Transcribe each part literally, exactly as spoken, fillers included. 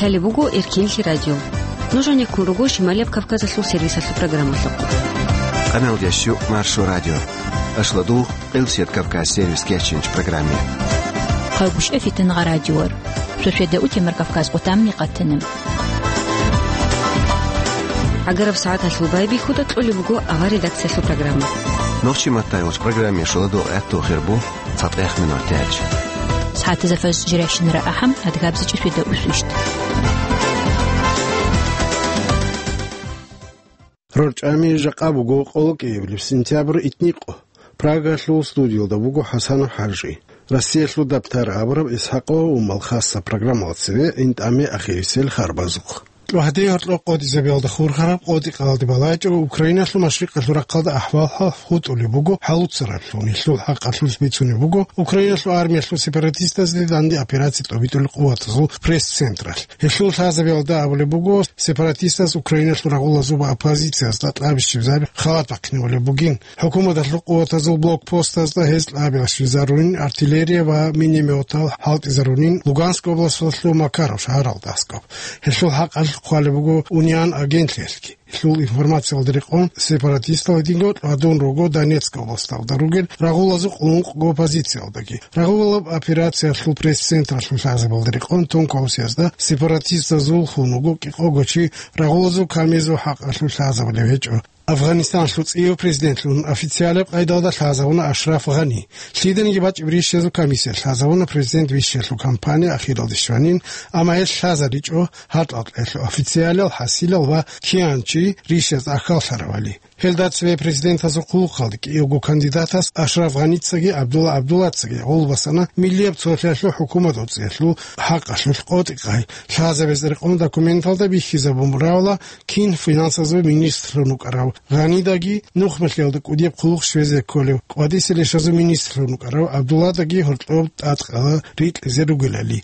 Гьале буго Эркинлъи радио. Нуж гьанеккун руго Шималияб Кавказалъул сервисалъул программалъухъ. Къамел ящу Маршо радио. Ашладу Къилсият Кавказ сервис кечинч программе. Хъагуш эфитан гъа радиор. Сосведа утемар Кавказ къутамни къатанам. Агараб сагӀаталъул байбихьуда кьолеб буго авар редакциялъул программа. Нохчи маттайгъуш программе шуладу гӀатту хирбу. ЦатӀех минут тяч. СагӀатазда фаз жиращинара ахӀам, адгабзичӀи светда усвищт. РорчӀами жакъа буго къоло кӀиабилеб сентябрь итникъо. Прагалъул студиялда буго ХӀасанов ХӀажи. Россиялъул дабтар абураб ИсхӀакъо Умал хасса программалда цеве гӀинтӀаме ахирисел харбазухъ. Гьадин гьоркьоб къотӀизабиялда хурхараб къотӀи-къалде балачӀо Украиналъул машрикъалъул рахъалда ахӀвал-хӀал хутӀулеб буго хӀалуцараблъун. Гьелъул хӀакъалъулъ бицунеб буго Украиналъул армиялъул сепаратистазде данде операция тӀобитӀулел къуватазул пресс-централъ. Гьелъул лъазабиялда абулеб буго, сепаратистаз Украиналъул рагъулазул ва оппозициязда кьабищиб халат бахъинабулеб бугин. ХӀукуматалъул къуватазул блокпостазда гьез кьабилащинабунин, артиллерия ва минометал хӀалтӀизарунин Луганск областалъул Макаров шагьаралда аскӀоб. Гьелъул хӀакъалъулъ хъвалеб буго Униан агентлъиялъги. Гьелъул информациялда рекъон, сепаратистал гьединго тӀадун руго Донецк областалда ругел рагъулазул къулункъго позициялдаги. Рагъулаб операциялъул пресс-централъул лъазабиялда рекъон тун кколеб буго, сепаратистазул хун вуго кӀикъого чи, рагъулазул камизул хӀакъалъулъ лъазабулеб гьечӀо. Афганистаналъул цӀияв президентлъун официалаб къайдалда лъазабуна Ашраф Гъани. Лъиданиги бачӀеб рищазул комиссия лъазабуна президент вищиялъул кампания ахиралде щванин, амма гьелъ лъазаричӀо гьаркьалъ гьелъул официалал хӀасилал ва киян чи рищаз ахьаллъаравали. Гьелда цеве президентазул хъулухъалде кӀиявго кандидатас Ашраф Гъаницаги ГӀабдулла ГӀабдуллацаги гъол басана миллияб цолъиялъул хӀукумат гьуцӀиялъул хӀакъалъулъ къотӀи-къай лъазабиялда рекъон. Документалда бихьизабун бугила кин финансазул министрлъун вукӀарав Гъанидаги нухмалъиялда кӀудияб хъулухъ щвезе кколев кӀвадисел ишазул министрлъун вукӀарав ГӀабдулладаги гьоркьоб тӀадкъала рикьизе ругелали.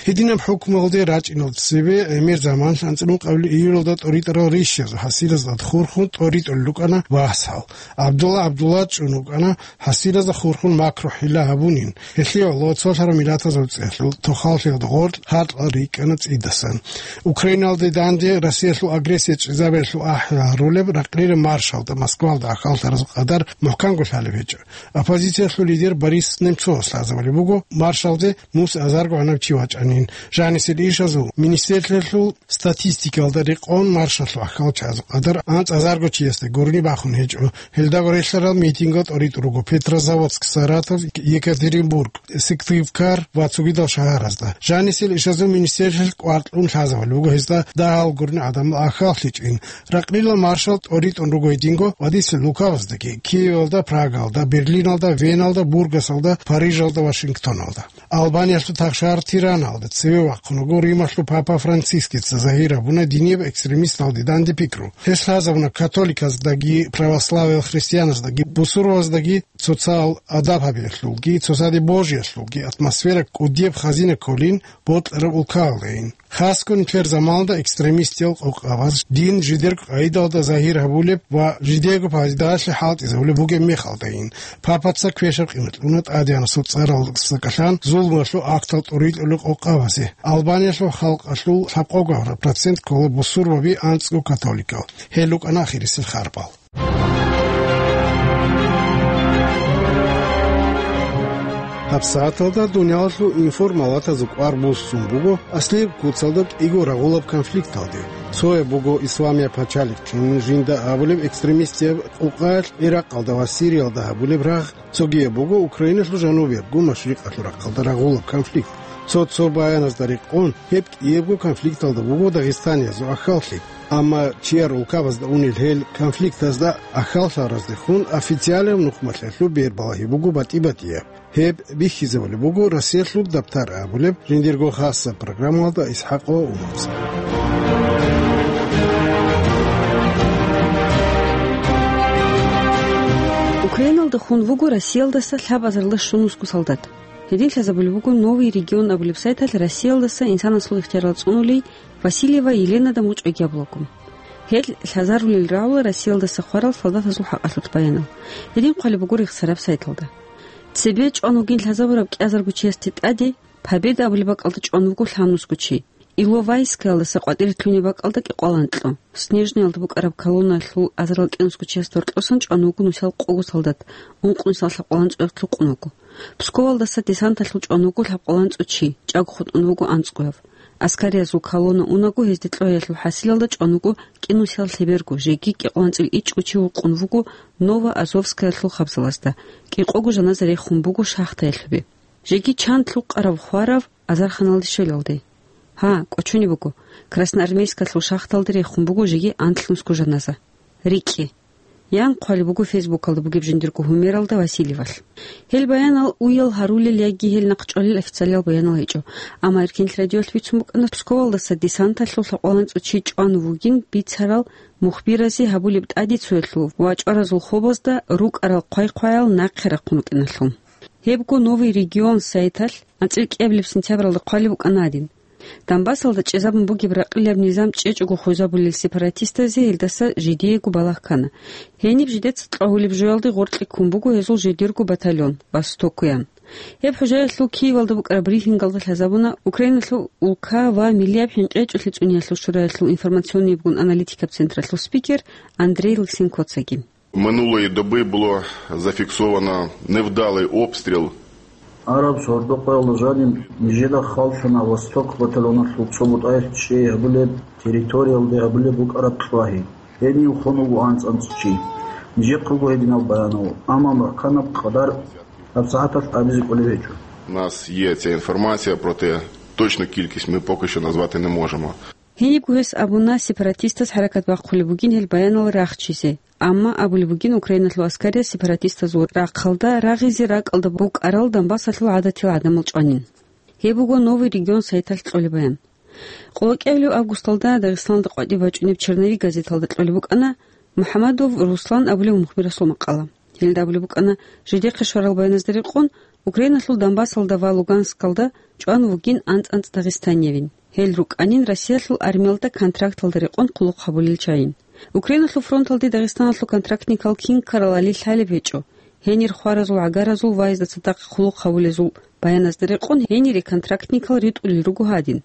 Гьединаб хӀукмуялде рачӀиналда цебе гӀемер заманалъ анцӀила ункъабилеб июлалда тӀоритӀарал рищазул хӀасилазда хурхун тӀоритӀулел рукӀана васал. ГӀабдулла ГӀабдулла чӀун вукӀана хӀасилазда хурхун макру-хӀила гьабунин. Гьелъие гӀоло цолъараб миллатазул цӀехьул тохаллъиялда гъоркь гьаркьал рикӀкӀана цӀидасан. Украиналде данде Россиялъул агрессия чӀезабиялъул ахӀи гьарулеб ракълилеб маршалда Москвалда ахьаллъаразул къадар мухӀканго лъалеб гьечӀо. Оппозициялъул лидер Борис Немцовас лъазабулеб буго маршалде мус азарго гӀанаб чи вачӀанин. Жанисел ишазул министрлъиялъул статистикалда рекъон маршалъул ахьал чагӀазул къадар анцӀазарго чиясда гурони бахун гьечӀо. Гьелдаго релълъарал митингал тӀоритӀун руго Петрозаводск, Саратов, Екатеринбург, Сыктывкар ва цогидал шагьаразда. Жанисел ишазул министрлъиялъ кӀвар кьун лъазабулеб буго гьезда дагьал гурони гӀадамал ахьаллъичӀин. Ракълилал маршал тӀоритӀун руго гьединго ва дица Луковоздаги, Киевалда, Прагалда, Берлиналда, Веналда, Бургасалда, Парижалда, Вашингтоналда. Албаниялъул тахшагьар Тираналда цеве вахъун вуго Рималъул папа Францискица загьир гьабуна динияб экстремисталде данде пикру. Гьес лъазабуна католиказдаги, православиял христианаздаги, бусурбабаздаги цоцал адаб гьабиялъулги, цоцаде божиялъулги атмосфера кӀудияб хазина кколин бокьараб улкаялдайин. Хасго нилъер заманалда экстремистиял къокъабаз дин жидерго къагӀидалда загьир гьабулеб ва жидерго пайдалъе хӀалтӀизабулеб бугеб мехалдайин, папаца квешаб къимат кьуна тӀадегӀанасул цӀаралдаса кӀалъан зулмуялъул актал тӀоритӀулел къокъабазе. Албаниялъул халкъалъул лъабкъого процент ккола бусурбаби, анцӀго католикал. Гьел рукӀана ахирисел харбал. ГьабсагӀаталда дуниялалъул информалатазул кӀвар буссун буго аслияб куцалда кӀиго рагъулаб конфликталде. Цояб буго Исламияб пачалихълъун жинда абулеб экстремистияб къокъаялъ Иракъалда ва Сириялда гьабулеб рагъ, цогияб буго Украиналъул жанубиябго машрикъалъул рахъалда рагъулаб конфликт. Цо-цо баяназда рекъон, гьеб кӀиябго конфликталда буго дагъистаниязул ахьаллъи. Амма чияр улкабазда унел гьел конфликтазда ахьаллъараздехун официалияб нухмалъиялъул бер балагьи буго батӀи-батӀияб. Гьеб бихьизабулеб буго Россиялъул дабтар абулеб жиндирго хасаб программалда ИсхӀакъо Умарза. Украиналда хун вуго Россиялдаса лъабазарла щунусго солдат. Гьедин лъазабулеб буго «Новый регион» абулеб сайталъ Россиялдаса инсанасул ихтиярал цӀунулей Васильева Еленада мугӀ чӀвегияб лого. Гьел лъазарулел рагӀула Россиялдаса хварал солдатазул хӀакъалъулъ баянал. Гьедин хъвалеб буго рехсараб сайталда. Цебе чӀван вугин лъазабураб кӀиазарго чиясде тӀаде, Победа абулеб бакӀалда чӀван вуго лъабнусго чи. Иловайскаялдаса къватӀире лъугьунеб бакӀалда кӀикъоялда анкьго, Снежноялда букӀараб колонналъул азарил кӀинусго чиясда гьоркьосан чӀван вуго нусал къого солдат, ункънусиялда лъабкъоялда анцӀго кьукъун вуго. Псковалдаса десанталъул чӀван вуго лъабкъоялда анцӀго чи, чӀаго хутӀун вуго анцӀгояв. Аскариязул колонна унаго, гьезде кьогьиялъул хӀасилалда чӀван вуго кӀинусиял лъеберго, жеги кӀикъоялда анцӀила ичӀго чи вукъун вуго Новоазовскаялъул хабзалазда, кӀикъого жаназа рехун буго шахтаялъубе. Жеги чан лъукъараб хвараб азарханалде щвелалде. Гьа, кӀочонеб буго, Красноармейскалъул шахталде рехун буго жеги анлънусго жаназа. РикӀкӀе. Ян хъвалеб буго Фейсбукалда бугеб жиндирго гьумералда Васильевалъ. Гьел баянал уял гьарулел яги гьел нахъчӀвалел официалиял баянал гьечӀо. Амма Эркенлъи радиоялъ бицун букӀана Псковалдаса десанталъул лъабкъоялда анцӀго чи чӀван вугин бицарал мухбиразе гьабулеб тӀадицуялъул ва чӀваразул хобазда рукӀарал хъвай-хъваял нахъе рахъун рукӀиналъул. Гьебго «Новый регион» сайталъ анцӀила кӀиабилеб сентябралда хъвалеб букӀана гьадин: Донбассалда чӀезабун бугеб ракъилаб низам чӀечӀого хвезабулел сепаратистазе гьелдаса жидеего балагь ккана. Гьениб жидеца кьвагьулеб жоялде гъоркье ккун буго гьезул жидерго батальон «Востокуян». Гьеб хӀужаялъул Киевалда букӀараб брифингалда лъазабуна Украиналъул улка ва миллияб хӀинкъи гьечӀолъи цӀуниялъул шураялъул информационнийбгун аналитикаб централъул спикер Андрей Лысенкоцаги. Минулої доби було зафіксовано невдалий обстріл. Араб сордо къоялда жаниб нижеда халлъана «Восток» батальоналъул цо бутӀаялъ чӀей гьабулеб территориялде гьабулеб букӀараб кьвагьи. Гьенив хун вуго анцӀ-анцӀ чи. Нижехъего гьединаб баянал, амма мухӀканаб къадар гьабсагӀаталъ абизе кӀолеб гьечӀо. У нас є ця інформація, проте точну кількість ми поки що назвати не можемо. Гьенибго гьес абуна сепаратистаз хӀаракат бахъулеб бугин гьел баянал рахчизе, амма абулеб бугин Украиналъул аскарияз сепаратистазул рахъалда рагъизе ракӀалда букӀарал Донбассалъул гӀадатиял гӀадамал чӀванин. Гьеб буго «Новый регион» сайталъ кьолеб баян. КъолокӀиабилеб августалда Дагъистаналда къватӀиб бачӀунеб «Черновик» газеталда кьолеб букӀана МухӀамадов Руслан абулев мухбирасул макъала. Гьелда абулеб букӀана, жидехъе щварал баяназда рекъон, Украиналъул Донбассалда ва Луганскалда чӀван вугин анцӀ-анцӀ дагъистаниявин. Гьел рукӀанин Россиялъул армиялда контракталда рекъон хъулухъ гьабулел чагӀи. Украиналъул фронталде Дагъистаналъул контрактникал кин ккаралали лъалеб гьечӀо. Гьенир хваразул, гӀагаразул ва гьезда цадахъ хъулухъ гьабулезул баяназда рекъон гьенире контрактникал ритӀулел руго гьадин.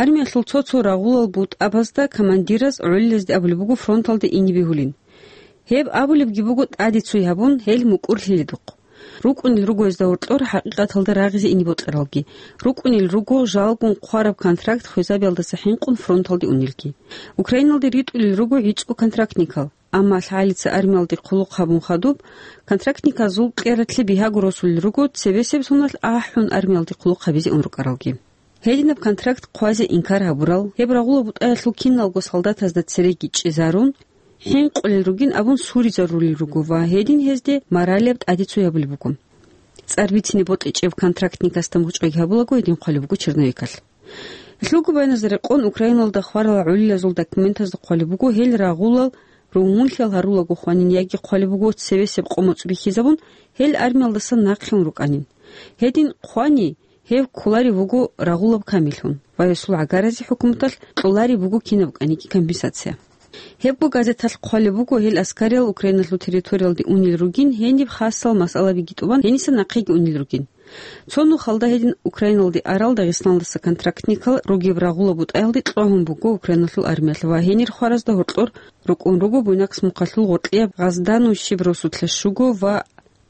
Армиялъул цо-цо рагъулал бутӀабазда командираз гӀолилазде абулеб буго фронталде ине бегьулин. Гьеб абулебги буго тӀаде цуй гьабун, гьел мукӀурлъи лъедухъ. РукӀунел руго гьезда гьоркьор хӀакъикъаталда рагъизе ине бокьаралги. РукӀунел руго жалгун хъвараб контракт хвезабиялдаса хӀинкъун фронталде унелги. Украиналде ритӀулел руго гӀицӀго контрактникал. Амма лъагӀалица армиялде хъулухъ гьабун хадуб, контрактниказул кьератлъи бигьаго росулел руго, цебесеб соналъ ахӀун армиялде хъулухъ гьабизе ун рукӀаралги. Гьединаб контракт хъвазе инкар гьабурал, гьеб рагъула бутӀаялъул киналго солдатазда цереги чӀезарун, хӀинкъулел ругин абун суризарулел руго ва гьедин гьезде моралияб тӀаде цуй гьабулеб буго. ЦӀар бицине бокьичӀеб контрактникасда мухӀчӀвайги гьабулаго гьедин хъвалеб буго черновикалъ. Лъугьу-баяназда рекъон Украиналда хварал гӀолилазул документазда хъвалеб буго гьел рагъулал ругьунлъиял гьарулаго хванин яги хъвалеб буго цевесеб къо-моцӀ бихьизабун, гьел армиялдасан нахъе ун рукӀанин. Гьедин хъвани, гьев кколарев вуго рагъулаб камиллъун ва гьесул гӀагаразе хӀукуматалъ кьолареб буго кинаб кӀаниги компенсация. Гьебго газеталъ хъвалеб буго, гьел аскариял Украиналъул территориялде унел ругин, гьениб хасал масъалабиги тӀубан, гьениса нахъеги унел ругин. Цо нухалда гьедин Украиналде арал Дагъистаналдаса контрактникал ругеб рагъула бутӀаялде кьвагьун буго Украиналъул армиялъ ва гьенир хваразда гьоркьор рукӀун руго Буйнакск мухъалъул гъоркьияб Гъаздану щиб росулъа щуго ва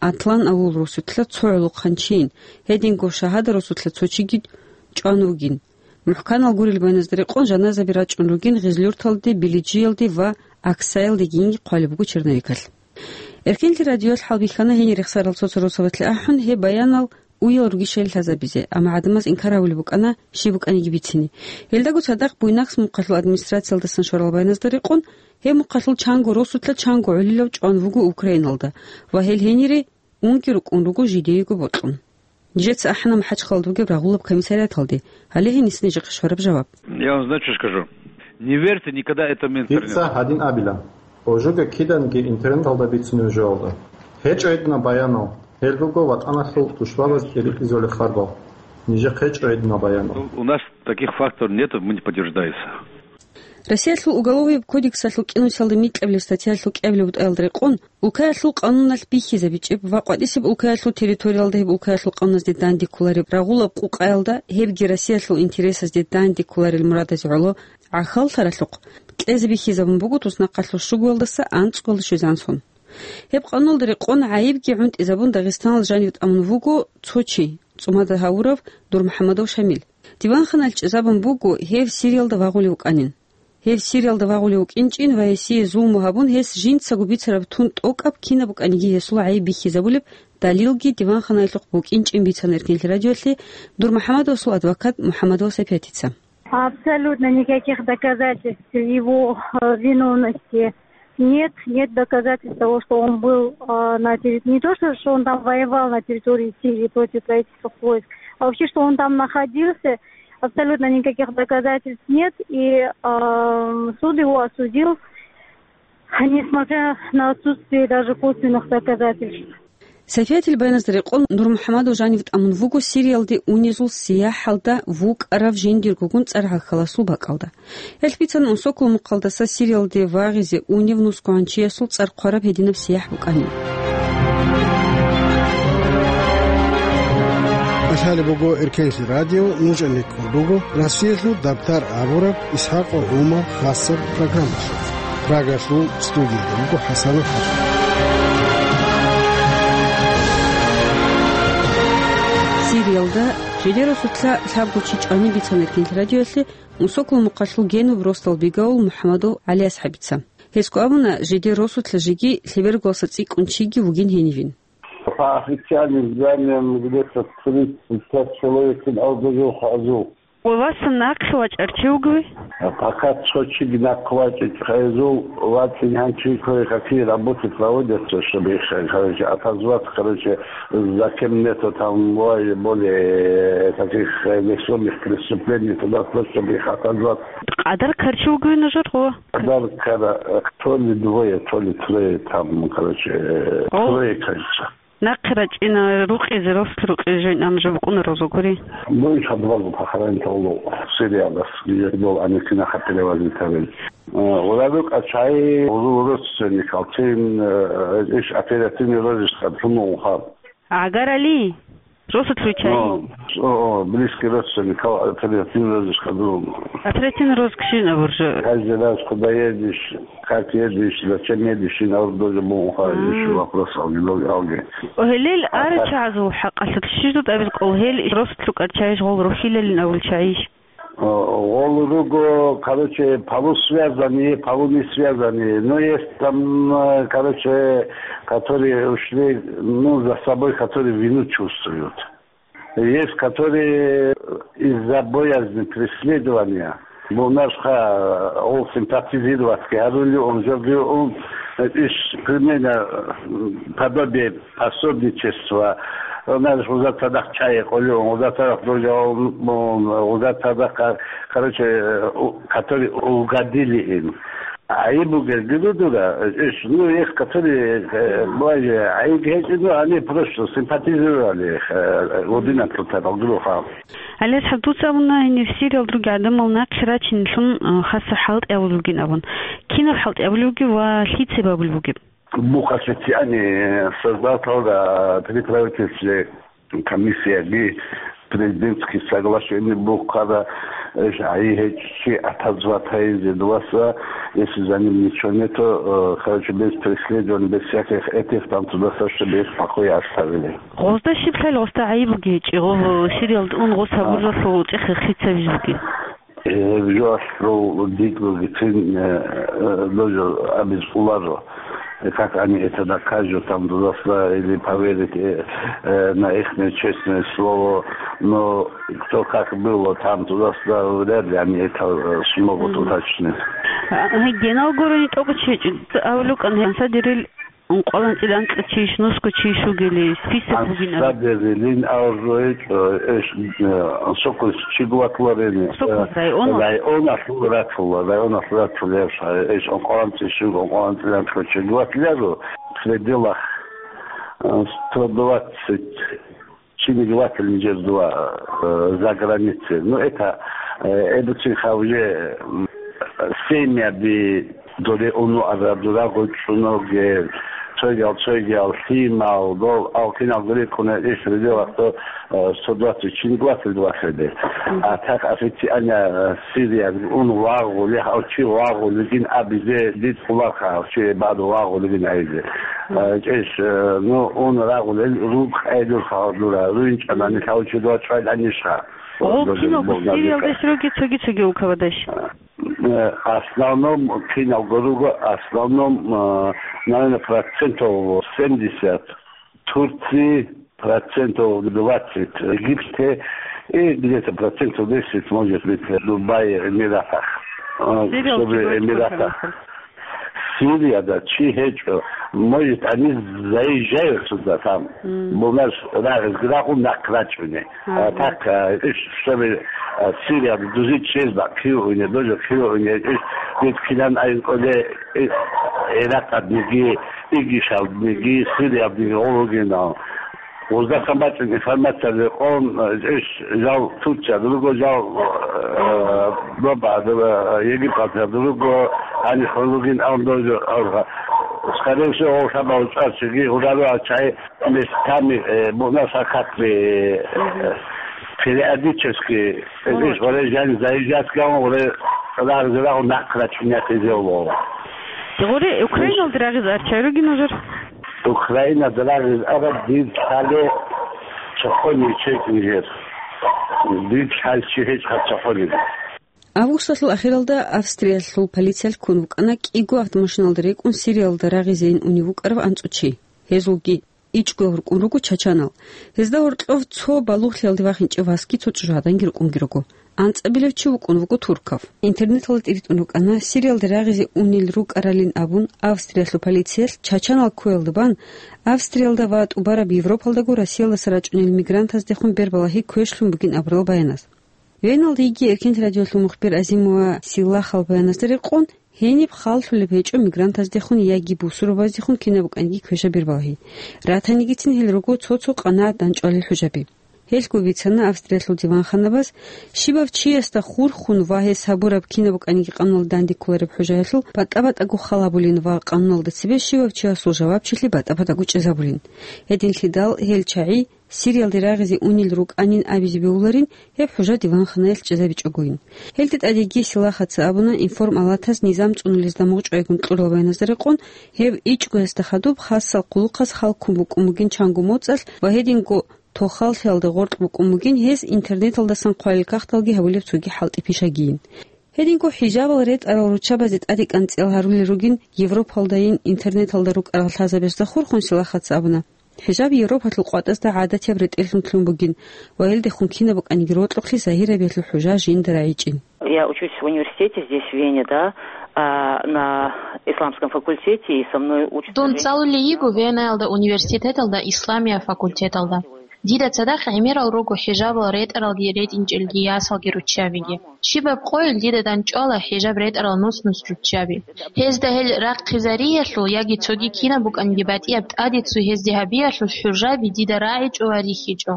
Атлан авул росулъа цо гӀолохъанчийин, гьединго Шагьада росулъа цо чиги чӀван вугин. МухӀканал гурел баяназда рекъон жаназаби рачӀун ругин Гъезлюрталде, Билиджиялде ва Аксаялдегинги хъвалеб буго черновикалъ. Эркенлъи радиоялъ хӀалбихьана гьенир рехсарал цо-цо росабалъе ахӀун гьеб баянал уял ругищали лъазабизе, амма гӀадамаз инкар гьавулеб букӀана щиб букӀаниги бицине. Гьелдаго цадахъ Буйнакск мухъалъул администрациялдасан щварал баяназда рекъон, гьеб мухъалъул чанго росулъа чанго гӀолилав чӀван вуго Украиналда ва гьел гьенире унги рукӀун руго жидеего бокьун. Нижеца ахӀана МахӀачхъалалда бугеб рагъулаб комиссариаталде, гьале гьениса нижехъе щвараб жаваб. Я вам знаете, что скажу? Не верьте никогда этому интернету. Дица гьадин абила. Ожуга киданги интернеталда бицунеб жоялда. ГьечӀо гьединаб баянал, гьел руго ватӀаналъул тушбабаз тӀерикьизулел харбал. Нижехъе гьечӀо гьединаб баянал. Ну, у нас таких фактов нету, мы не подтверждается. Россиялъул Уголовияб кодексалъул кӀинусиялда микьабилеб статьялъул кӀиабилеб бутӀаялда рекъон, улкаялъул къануналъ бихьизабичӀеб ва къватӀисеб улкаялъул территориялда гьеб улкаялъул къануналъ дандеккулареб рагъулаб къукъаялда, гьебги Россиялъул интересазде дандеккуларел мурадазе гӀоло гӀахьаллъаралъухъ, кьезе бихьизабун буго туснахъалъул щугоялдаса анцӀгоялда щвезан сон. Гьеб къануналда рекъон гӀайибги гӀунтӀизабун Дагъистаналда жанив тӀамун вуго цо чи, цӀумада гьавурав Нурмухьамадов Шамил. Диванханалъ чӀезабун буго гьев Сириялда вагъулев вукӀанин. Гьев Сириялда вагъулев вукӀинчӀин ва гьесие зулму гьабун, гьес жинцаго бицараб тун тӀокӀаб кинаб букӀаниги гьесул гӀайиб бихьизабулеб далилги диванханаялъухъ букӀинчӀин бицана Эркенлъи радиоялъе Нурмухьамадовасул адвокат МухӀаммадова Сапиятица. Абсолютно никаких доказательств его, э, виновности нет. Нет доказательств того, что он был, э, на территории, не то, что, что он там воевал на территории Сирии против правительственных войск, а вообще, что он там находился, абсолютно никаких доказательств нет. И, э, суд его осудил, несмотря на отсутствие даже косвенных доказательств. Сапиятил баяназда рекъон, Нурмухьамадов жанив тӀамун вуго Сириялде унезул сияхӀалда вукӀарав жиндиргогун цӀар гӀахьаласул бакӀалда. Гьелъ бицана Унсокол мухъалдаса Сириялде вагъизе унев нусгогӀан чиясул цӀар хъвараб гьединаб сияхӀ букӀанин. Лъалеб буго Эркенлъи радио, нуж анеккун руго Россиялъул Дабтар абураб ИсхӀакъов ГӀумар хасаб программалъулъ. Прагалъул студияда буго ХӀасанов ХӀажи. Сириялда жидер росулъа лъабго чи чӀванин бицана Эркенлъи радиоялъе Унсокол мухъалъул генуб росдал бигаул МухӀамадов ГӀалиасхӀабица. Гьесго абуна, жидер росулъа жеги лъебергоялдаса цӀикӀкӀун чиги вугин гьенивин. По официальным данным, где-то тридцать пять человек ин абураб буго хӀажал. Ва васан нахъе вачӀарав чи вугев? Пока цо чиги нахъе вачӀичӀо, хӀажал вачӀин гьанчи кое-какие работы проводятся, чтобы их, короче, отозвать, короче, за кем нету там более таких, э, весомых преступлений туда, чтобы их отозвать. Къадар ккарав чи вугев нужер гъо? Къадар ккарав, э, то ли двое, то ли трое там, короче, э, О. Трое, кажется. Нахъе рачӀина рукъизе, росулъ рукъизе жойин ам жо букӀунаро зогури. Ну, и подвал похоронить гьавулев Сириялдас, где был, они кинаха перевозить гьарин. Э, гъура рукӀа чагӀи, гъура родственникал, цин, э, иш оперативный розыскалъун унха. ГӀагарали? Росулъ руччайин? О, о, близкий родственник, кал-, оперативный розыск хадурун. Оперативный розыск щин абур жо? Каждый раз, куда едешь, как едешь, зачем едешь, ин абур доза муха, А. Иш вопрос алги, алги. О, гьелел А, ара так. Чагьазул хӀакъалъулъ щижут абил къол, гьел росулъ рукӀар чагьиш гъол рухьилалин абул чагьиш? О, гъол руго, короче, полусвязанные, полунесвязанные. Но есть там, э, короче, которые ушли, ну, за собой, которые вину чувствуют. Есть, которые из-за боязни преследования, бунарха, он симпатизировать гьарули, он жо-, он, э, иш, примерно, э, подобие пособничества, он, знаешь, уза цадахъ чӀай къолион, уза цадахъ дожаун, уза цадахъ, короче, э, у-, которые угодили им. А и бугел гилудура, иш, ну, их, которые, э, бывает, а и гьечӀи, ну, они просто симпатизировали, э, один от другого. Алир, гьаб дуца абуна, гьенир Сириялда ругел гӀадамал нахъе рачинлъун, э, хасаб хӀалтӀи абулеб бугин абун. Кинаб хӀалтӀи абулеб бугеб ва лъицеб абулеб бугеб? Бухъалъе цӀиани создаталда при правительстве комиссияги президентский соглашение бухъара, э, гьай гьечӀчи атазватайзе дуаса, если за ним ничего нету, э, короче, без преследований, без всяких этих, там туда-сюда, чтобы их в покое оставили. Гъозда щиб лъай гъозда гӀайиб бугечӀи, гъо-, Сириялда ун гъос гьабуралъул цӀех хицабиз бугеб? Э, жоалъул дикь бугицин, э, э, дожо абиз уларо. Э, как они это докажут, там туда-сюда, или поверить, э, э, на ихнее честное слово. Но кто как было там туда-сюда, вряд ли они это, э, смогут уточнить. А, гьединал гурони тӀокӀ чи-, авлукӀан гьанса дирил Ункъоялда анцӀила анкьа чийищ, нусго чийищ вугели, список бугин абун. Ансаберилин авру гьечӀо, эш, э, сокус чигватларин, Сокус э, районал? Районалъул ратула, районалъул ратула, эш, эш, ункъоялда анцӀила чийищ, ункъоялда анцӀила анкьа чигватлару, в пределах, э, сто двадцать Чиниги ватилин жездула, э, за границей. Ну, это, э, эбуцин хавле, м, Семьяби доре унуараб, дурагъо чӀуногел, цойгал, цойгал, лъимал, дол, ал киналго рикӀкӀуна иш ридилахъо, э, сто двадцать чин двадцать двадцать. А так официально, э, Сирия ун вагъули, гьав чи вагъулигин абизе дид къулаха, гьав чи баду вагъулигин гьайзе. Э, чӀеш, э, ну, ун рагъулел рукъ гӀелурха дура, руинчӀанани лъав чи дуа чӀвайланишха. Гъол киналго Сириялдаш руги цоги-цоги улкабадаш? Э, основном киналго руго, основном, э, наверное, процентов семьдесят Турции, процентов двадцать Египте и где-то процентов десять, может быть, Дубай, Эмиратах. Э, Сириялги чтобы дочь Эмиратах. Сирияда чи гьечӀо, может, они заезжают сюда, там, Мгм. бунаш рагъизги рагъун нахъ рачӀуни. Ага. А так, а, иш, чтобы, а, Сирияда дузи чез бакӀ кируине, дожо кируине, иш, дид кинан айн къоле, и, Иракъадниги, Игишалдниги, Сириялдниги гъуругинал. Гъуздасан бачӀун информация рекъон, э, иш жал Турция дуруго, жал, э, Боба, э, Египет дуруго, ани хвалугин ан дозо, э, скорее всего, шаба учӀарчиги, гъураро ачай местами, э, бунаса как бы, э, периодически, э, иш гъоре жан заезжать гаван гъоре рагъизрагъу нахъ рачунятизе уло. Гъоре Украиналда рагъиз арчай ругин ужур? Украинада рагъиз араб дир лъале чахъони чекни гьеб. Дир лъалчи гьечӀ хъачахъони. Августалъул ахиралда Австриялъул полициялъ ккун вукӀана кӀиго автомашиналда рекӀун Сириялда рагъизейин унев вукӀарав анцӀучи. Гьезулги ичӀго гьоркьун руго чачанал. Гьезда гьоркьов цо балугълъиялде вахинчӀев васги цо чӀужугӀаданги рукӀунги руго. АнцӀабилев чи вукӀун вуго туркав. Интернеталда тӀиритӀун рукӀана, Сириялда рагъизе унел рукӀаралин абун, Австриялъул полициялъ чачанал ккоялда бан, Австриялда ва тӀубараб Европалдаго Россиялдаса рачӀунел мигрантаздехун бербалагьи квешлъун бугин абурал баяназ. Веналда йиги Эркенлъи радиолъул мухбир Азимова Силагьал баяназда рекъон, гьениб халлъулеб гьечӀо мигрантаздехун яги бусурбаздехун кинаб букӀаниги квеша бербалагьи. Ратанигицин гьел руго цо-цо къанагӀат дандчӀвалел хӀужаби. Гьелъго бицана Австриялъул диванханабаз, щибав чиясда хурхун ва гьес гьабураб кинаб букӀаниги къануналда данде кколареб хӀужаялъул батӀа-батӀаго хал гьабулин ва къануналда цебе щивав чиясул жавабчилъи батӀа-батӀаго чӀезабулин. Гьединлъидал гьел чагӀи Сириялде рагъизе унел рукӀанин абизе бегьуларин гьеб хӀужа диванханаялъ чӀезабичӀогойин. Гьелде тӀадеги Силагьаца абуна, информалатаз низам цӀунулезда мугъчӀвайгун кьурал баяназда рекъон, гьеб ичӀгоясда хадуб хасал хъулухъаз хал ккун букӀун бугин чанго моцӀалъ ва гьединго тохаллъиялда гъоркь букӀун бугин гьез интернеталдасан хъвалел кагъталги гьабулеб цоги хӀалтӀи-пишагийин. Гьединго хӀижабал ретӀарал руччабазе тӀаде кӀанцӀиял гьарулел ругин Европалдайин интернеталда рукӀарал лъазабазда хурхун Силагьаца абуна, хӀижаб Европалъул къватӀазда гӀадатияб ретӀеллъун лъун бугин ва гьелдехун кинаб букӀаниги рокьухълъи загьирабиялъул хӀужа жинда рагӀичӀин. Я учусь в университете здесь, в Вене, да, а, на исламском факультете, и со мной учатся Дун женщины. ЦӀалулей йиго Венаялда университеталда исламия факультеталда. Дида цадахъ гӀемерал руго хӀижабал ретӀаралги ретӀинчӀелги ясалги руччабиги. Щибаб къойил дида дандчӀвала хӀижаб ретӀарал нус-нус руччаби. Гьезда гьел рахъизариялъул яги цоги кинаб букӀанги батӀияб тӀаде цо гьезде гьабиялъул хӀужаби дида рагӀичӀо ва рихьичӀо.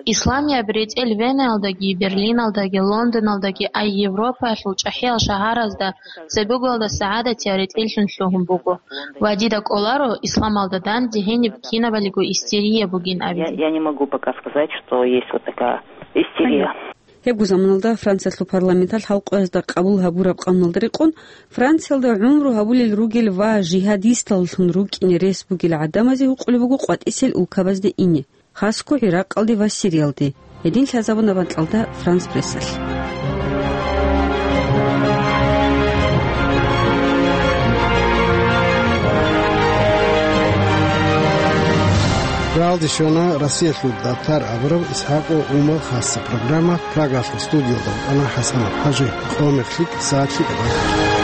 Исламияб ретӀел Венаялдаги, Берлиналдаги, Лондоналдаги, ай Европаялъул чӀахӀиял шагьаразда цебеголда сагӀадатиял ретӀеллъун лъугьун буго ва дида кӀоларо исламалда данде гьениб кинабалиго истерия бугин абизе. Я, я не могу пока сказать, что есть вот такая истерия. Гьебго заманалда Франциялъул парламенталъ халкъоязда къабул гьабураб къануналда рекъон, Франциялда гӀумру гьабулел ругел ва жигьадисталлъун рукӀине рес бугел гӀадамазе гьукъулеб буго къватӀисел улкабазде ине. Хасго ГӀиракъалде ва Сириялде. Гьедин лъазабуна бакьалда Франс Прессалъ. Рагьалде щвана Россиялъул дабтар абураб ИсхӀакъ ва Умал хасса программа. Прагалъул студиялда вукӀана ХӀасанов ХӀажи. Къо мехлъи сагӀатлъи тӀадаб.